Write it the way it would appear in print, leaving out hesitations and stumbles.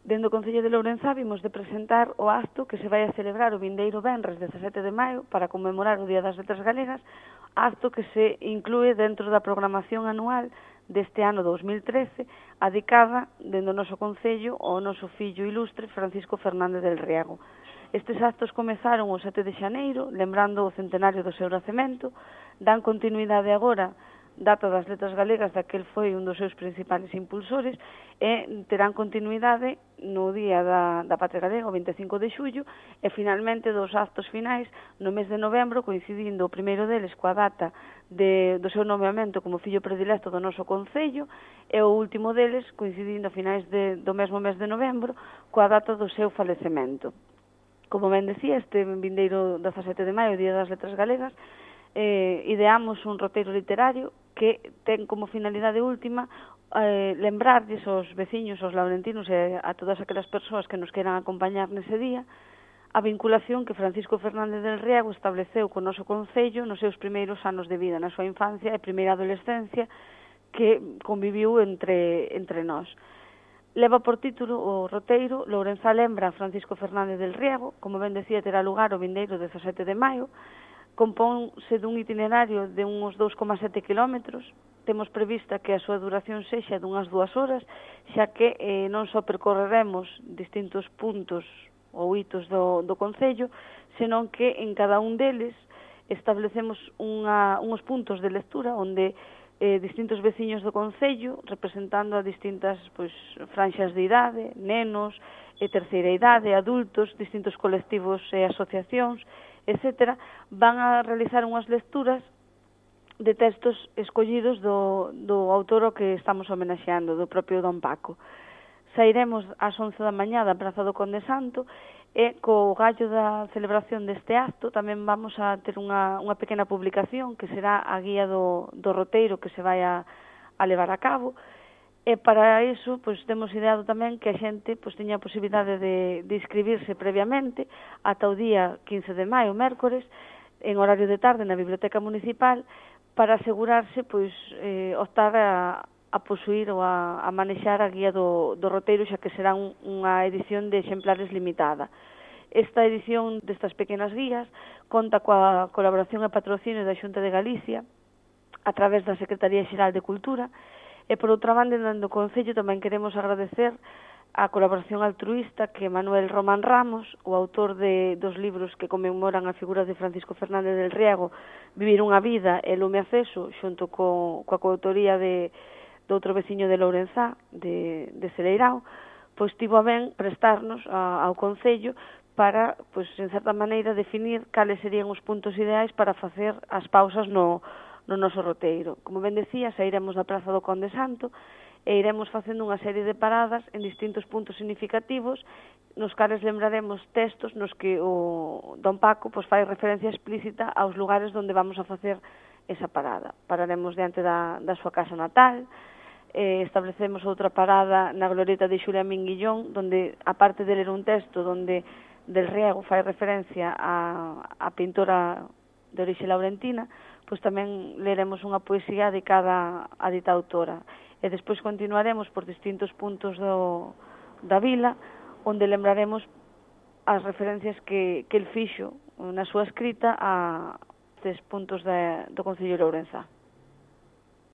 Dende o Concello de Lourenzá vimos de presentar o acto que se vai a celebrar o vindeiro venres 17 de maio para conmemorar o Día das Letras Galegas, acto que se inclúe dentro da programación anual deste ano 2013, adicada dende o noso Concello ao noso fillo ilustre Francisco Fernández del Riego. Estes actos comezaron o 7 de xaneiro, lembrando o centenario do seu nacemento, dan continuidade agora data das letras galegas, daquel foi un dos seus principales impulsores, e terán continuidade no Día da Patria Galega, o 25 de xullo, e finalmente dos actos finais no mes de novembro, coincidindo o primeiro deles coa data do seu nomeamento como fillo predilecto do noso Concello, e o último deles coincidindo a finais do mesmo mes de novembro coa data do seu falecemento. Como ben decía, este vindeiro 17 de maio, Día das Letras Galegas, ideamos un roteiro literario que ten como finalidade última lembrarlles aos veciños, aos laurentinos e a todas aquelas persoas que nos queran acompañar nese día a vinculación que Francisco Fernández del Riego estableceu co noso Concello nos seus primeiros anos de vida, na súa infancia e primeira adolescencia que conviviu entre nós. Leva por título o roteiro Lourenzá lembra a Francisco Fernández del Riego, como ben decía, terá lugar o vindeiro 17 de maio, compónse dun itinerario de uns 2,7 kilómetros, temos prevista que a súa duración sexa dunhas 2 horas, xa que non só percorreremos distintos puntos ou hitos do Concello, senón que en cada un deles establecemos uns puntos de lectura onde distintos veciños do Concello, representando a distintas franxas de idade, nenos, terceira idade, adultos, distintos colectivos e asociacións, etcétera, van a realizar unhas lecturas de textos escollidos do autor ao que estamos homenaxeando, do propio Don Paco. Sairemos ás 11 da mañá da Praza do Conde Santo e co gallo da celebración deste acto tamén vamos a ter unha pequena publicación que será a guía do roteiro que se vai a levar a cabo. E para iso, temos ideado tamén que a xente teña a posibilidade de inscribirse previamente ata o día 15 de maio, mércores, en horario de tarde na Biblioteca Municipal, para asegurarse, optar a posuir ou a manexar a guía do roteiro, xa que será unha edición de exemplares limitada. Esta edición destas pequenas guías conta coa colaboración e patrocinio da Xunta de Galicia a través da Secretaría Xeral de Cultura. E, por outra banda, dentro do Concello tamén queremos agradecer a colaboración altruísta que Manuel Román Ramos, o autor dos libros que conmemoran a figura de Francisco Fernández del Riego, Vivir unha vida e Lume Aceso, xunto coa coautoría de outro veciño de Lourenzá, de Celeirao, tivo a ben prestarnos ao Concello para, en certa maneira, definir cales serían os puntos ideais para facer as pausas no noso roteiro. Como ben decía, sairemos da Praza do Conde Santo e iremos facendo unha serie de paradas en distintos puntos significativos nos cales lembraremos textos nos que o Don Paco fai referencia explícita aos lugares onde vamos a facer esa parada. Pararemos diante da súa casa natal, establecemos outra parada na glorieta de Xulia Minguillón, donde, aparte de ler un texto donde del Riego fai referencia a pintora de orixe laurentina, tamén leremos unha poesía dedicada á dita autora. E despois continuaremos por distintos puntos da vila, onde lembraremos as referencias que el fixo na súa escrita a estes puntos do Concello de Lourenzá.